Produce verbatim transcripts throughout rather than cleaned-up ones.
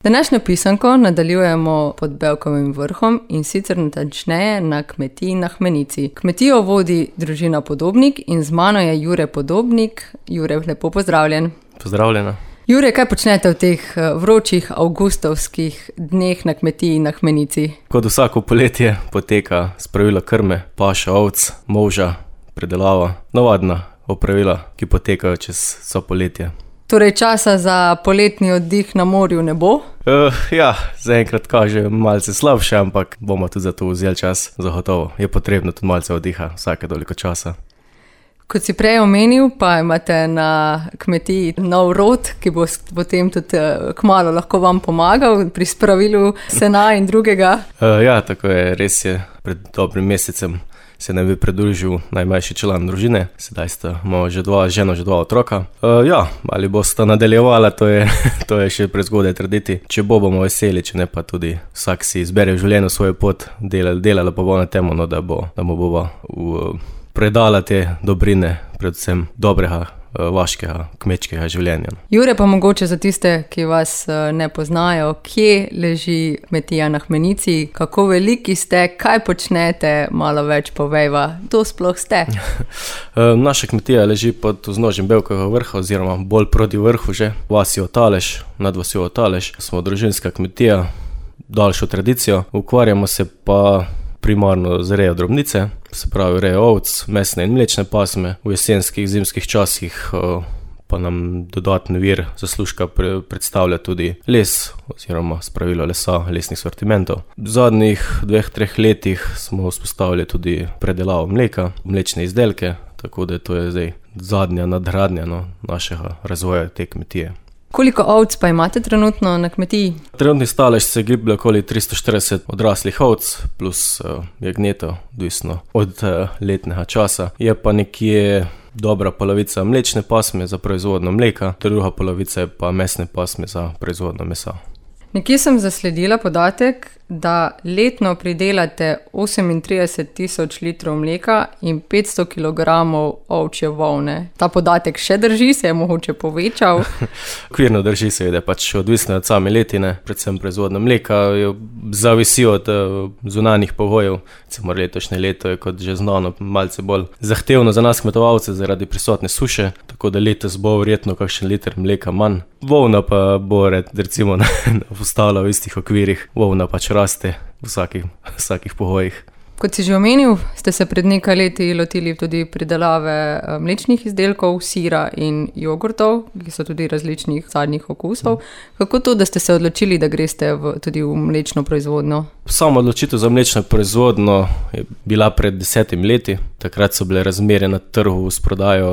Današnjo pisanko nadaljujemo pod Bevkovim vrhom in sicer natančneje na kmetiji na Hmenici. Kmetijo vodi družina Podobnik in z mano je Jure Podobnik. Jure, lepo pozdravljen. Pozdravljena. Jure, kaj počnete v teh vročih avgustovskih dneh na kmetiji na Hmenici? Kot vsako poletje poteka spravilo krme, paša ovc, molža, predelava, navadna opravila, ki potekajo čez vso poletje. Torej časa za poletni oddih na morju ne bo? Uh, ja, zaenkrat kaže malce slabše, ampak bomo tudi za to vzeli čas, zagotovo. Je potrebno tudi malce oddiha, vsake toliko časa. Kot si prej omenil, pa imate na kmetiji nov rod, ki bo potem tudi kmalu lahko vam pomagal pri spravilu sena in drugega. Uh, ja, tako je, res je. Pred dobrim mesecem se nam je pridružil najmlajši član družine, sedaj sta imamo že dva ženo, že dva otroka. Uh, ja, ali bosta nadaljevala, to je, to je še prezgodaj trditi. Če bo, bomo veseli, če ne pa tudi vsak si izbere v življenju svojo pot, delala, delala pa bo na temo, no, da bo, da mu bova v, predala te dobrine, predvsem dobrega, vaškega, kmečkega življenja. Jure, pa mogoče za tiste, ki vas ne poznajo, kje leži kmetija na Hmenici, kako veliki ste, kaj počnete, malo več povejva, kdo sploh ste? Naša kmetija leži pod vznožjem Bevkovega vrha, oziroma bolj proti vrhu že, vasi Otalež, nad vasjo Otalež. Smo družinska kmetija, daljšo tradicijo, ukvarjamo se pa primarno z rejo drobnice, se pravi rejo ovc, mesne in mlečne pasme. V jesenskih, zimskih časih pa nam dodatni vir zaslužka predstavlja tudi les oziroma spravilo lesa, lesnih sortimentov. V zadnjih dveh, treh letih smo vzpostavili tudi predelavo mleka, mlečne izdelke, tako da to je zdaj zadnja nadgradnja no, našega razvoja te kmetije. Koliko ovc pa imate trenutno na kmetiji? Trenutni stalež se giblje okoli tristo štirideset odraslih ovc plus uh, jagnjetov, odvisno od uh, letnega časa. Je pa nekje dobra polovica mlečne pasme za proizvodno mleka, druga polovica je pa mesne pasme za proizvodno mesa. Nekje sem zasledila podatek, da letno pridelate osemintrideset tisoč litrov mleka in petsto kilogramov ovčje volne. Ta podatek še drži, se je mogoče povečal? Okvirno drži seveda, pač odvisno od same letine, predvsem proizvodno mleka, zavisi od zunanjih pogojev. Recimo letošnje leto je, kot že znano, malce bolj zahtevno za nas kmetovalce zaradi prisotne suše, tako da letos bo verjetno kakšen liter mleka manj. Volna pa bo recimo ostala v istih okvirih, volna pač raste v vsakih, vsakih pogojih. Kot si že omenil, ste se pred nekaj leti lotili tudi pridelave mlečnih izdelkov, sira in jogurtov, ki so tudi različnih zadnjih okusov. Kako to, da ste se odločili, da greste v, tudi v mlečno proizvodnjo? Sama odločitev za mlečno proizvodnjo je bila pred desetimi leti. Takrat so bile razmere na trgu s prodajo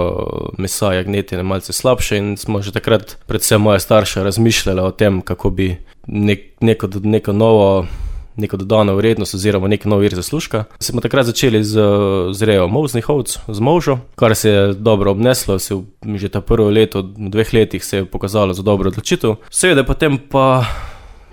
mesa, jagnjetine malce slabše in smo že takrat, predvsem moja starša, razmišljala o tem, kako bi nek, neko, neko novo neko dodano vrednost oziroma nek nov vir zaslužka. Smo takrat začeli z, z rejo molznih ovc, z molžo, kar se je dobro obneslo, se v, že ta prvo leto, v dveh letih se je pokazalo za dobro odločitev. Seveda potem pa,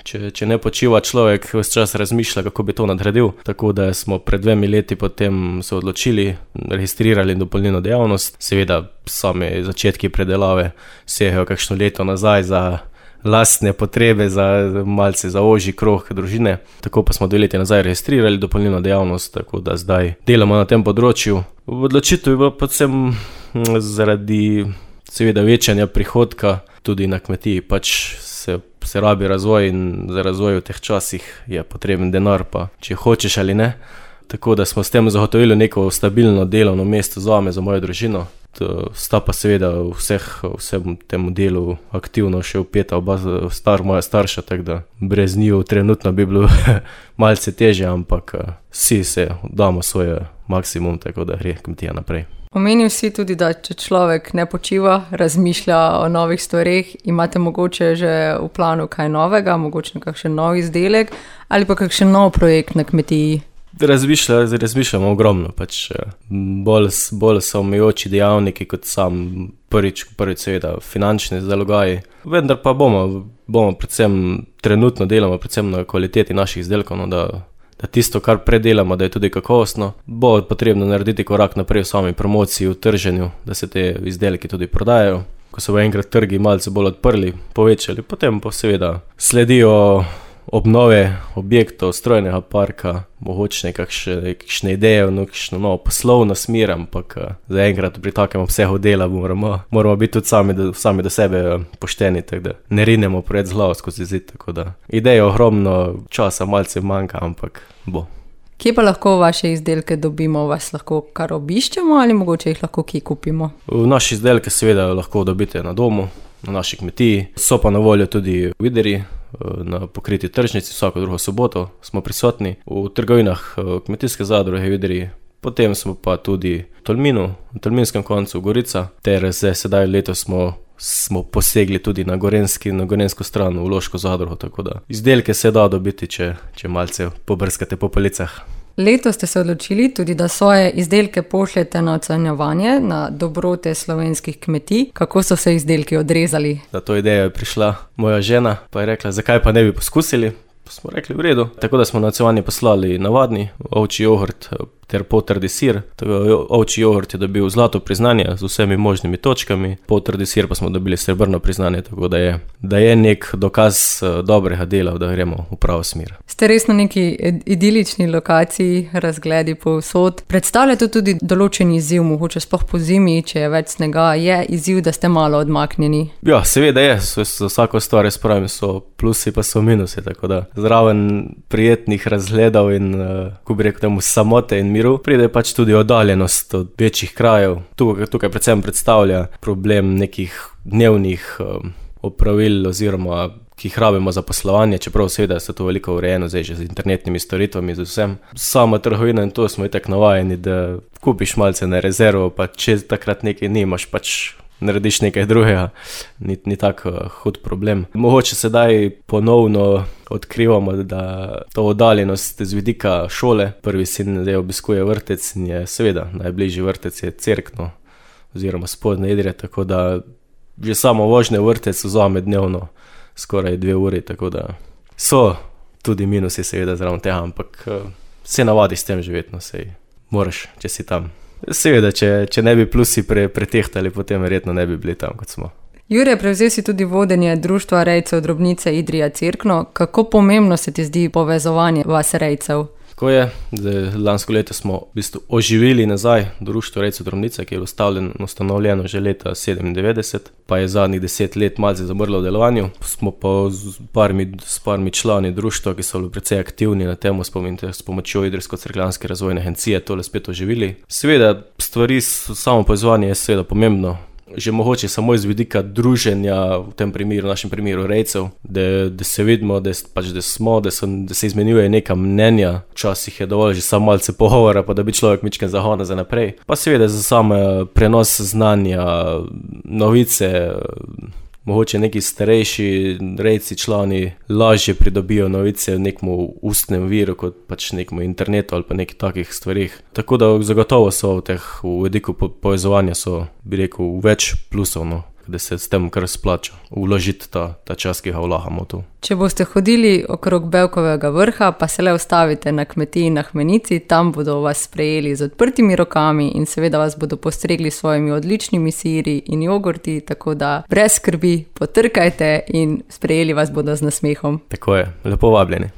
če, če ne počiva človek, ves čas razmišlja, kako bi to nadgradil, tako da smo pred dvemi leti potem se odločili, registrirali dopolnilno dejavnost. Seveda same začetki predelave segajo kakšno leto nazaj za lastne potrebe, za malce za ožji krog družine. Tako pa smo dve leti nazaj registrirali dopolnilno dejavnost, tako da zdaj delamo na tem področju. V odločitev je bilo predvsem zaradi seveda večanja prihodka tudi na kmetiji, pač se, se rabi razvoj in za razvoj v teh časih je potreben denar, pa če hočeš ali ne. Tako da smo s tem zagotovili neko stabilno delovno mesto zame, za mojo družino. Sta pa seveda vseh, vsem temu delu aktivno še vpeta oba star, moja starša, tako da brez njiju trenutno bi bilo malce težje, ampak vsi se damo svoj maksimum, tako da gre kmetija naprej. Omenil si tudi, da če človek ne počiva, razmišlja o novih stvareh, imate mogoče že v planu kaj novega, mogoče kakšen nov izdelek ali pa kakšen nov projekt na kmetiji? Razmišlja, razmišljamo ogromno, pač bolj, bolj so omejujoči dejavniki kot sam prvič, prvič seveda finančni zalogaji, vendar pa bomo, bomo predvsem trenutno delamo predvsem na kvaliteti naših izdelkov, no, da, da tisto, kar predelamo, da je tudi kakovostno, bo potrebno narediti korak naprej v sami promociji, v trženju, da se te izdelki tudi prodajajo. ko so enkrat trgi malce bolj odprli, povečali, potem pa seveda sledijo obnove objektov, strojnega parka, mogoče kakšne, kakšne ideje, no, kakšno novo poslovno smer, ampak zaenkrat pri takem obsegu dela moramo, moramo biti tudi sami do, sami do sebe pošteni, tako da ne rinemo pred z glavo skozi zid, tako da ideje ogromno, časa malce manjka, ampak bo. Kje pa lahko vaše izdelke dobimo? Vas lahko kar obiščemo ali mogoče jih lahko kje kupimo? V naši izdelke seveda lahko dobite na domu, na naši kmetiji. So pa na voljo tudi v Idriji, na pokriti tržnici, vsako drugo soboto smo prisotni. V trgovinah kmetijske zadruge v Idriji, potem smo pa tudi v Tolminu, v Tolminskem koncu Gorica, ter zdaj sedaj letos smo smo posegli tudi na gorenski, na gorensko stran v Loško zadrugo, tako da izdelke se da dobiti, če, če malce pobrskate po policah. Letos ste se odločili tudi, da svoje izdelke pošljete na ocenjevanje na dobrote slovenskih kmetij. Kako so se izdelki odrezali? Na to idejo je prišla moja žena, pa je rekla, zakaj pa ne bi poskusili. Pa smo rekli v redu. Tako da smo na ocenjevanje poslali navadni ovčji jogurt ter poltrdi sir. Ovčji jogurt je dobil zlato priznanje z vsemi možnimi točkami, poltrdi sir pa smo dobili srebrno priznanje, tako da je, da je nek dokaz dobrega dela, da gremo v pravo smer. Ste res na neki idilični lokaciji, razgledi povsod. Predstavljate tudi določen izziv, mogoče sploh po zimi, če je več snega, je izziv, da ste malo odmaknjeni? Ja, seveda je, za vsako stvar jaz pravim, so plusi pa so minusi, tako da zraven prijetnih razgledov in, ko bi rekel temu, samote in miru, pride pač tudi oddaljenost od večjih krajev. Tukaj, tukaj predvsem predstavlja problem nekih dnevnih um, opravil oziroma ki jih rabimo za poslovanje, čeprav seveda se to veliko urejeno zdaj že z internetnimi storitvami, z vsem. Sama trgovina in to smo itak navajeni, da kupiš malce na rezervo, pa če takrat nekaj nimaš, pač narediš nekaj drugega, ni, ni tak uh, hud problem. Mogoče sedaj ponovno odkrivamo, da to oddaljenost z vidika šole, prvi sin zdaj obiskuje vrtec in je seveda najbližji vrtec je Cerkno oziroma Spodnje Idrije, tako da že samo vožnje v vrtec vzame dnevno skoraj dve uri, tako da so tudi minusi seveda zraven tega, ampak uh, se navadiš s tem živeti, no, sej moraš, če si tam. Seveda, če, če ne bi plusi pre, pretehtali, potem verjetno ne bi bili tam, kot smo. Jure, prevzel si tudi vodenje Društva rejcev drobnice Idrija Cerkno. Kako pomembno se ti zdi povezovanje vas rejcev? Tako je, zdaj, lansko leto smo v bistvu oživili nazaj Društvo rejcev drobnice, ki je ustanovljeno že leta sedemindevetdeset, pa je zadnjih deset let malce zamrlo v delovanju. Smo pa s parmi, s parmi člani društva, ki so bili precej aktivni na temo, s pomočjo Idrijsko-cerkljanske razvojne agencije tole spet oživili. Seveda, stvari, samo povezovanje je seveda pomembno. Že mogoče samo iz vidika druženja, v tem primeru, v našem primeru rejcev, da, da se vidimo, da, pač, da smo, da, so, da se izmenjuje neka mnenja. Včasih je dovolj že samo malce pogovora, pa da bi človek mičken zahona za naprej. Pa seveda za sam prenos znanja, novice, mogoče neki starejši rejci člani lažje pridobijo novice v nekem ustnem viru, kot pač nekem internetu ali pa nekih takih stvarih. Tako da zagotovo so v teh, v vidiku povezovanja so, bi rekel, več plusov, no, da se s tem kar splača vložiti ta, ta čas, ki ga vlagamo tu. Če boste hodili okrog Bevkovega vrha, pa se le ustavite na kmetiji na Hmenici, tam bodo vas sprejeli z odprtimi rokami in seveda vas bodo postregli s svojimi odličnimi siri in jogurti, tako da brez skrbi potrkajte in sprejeli vas bodo z nasmehom. Tako je, lepo vabljeni.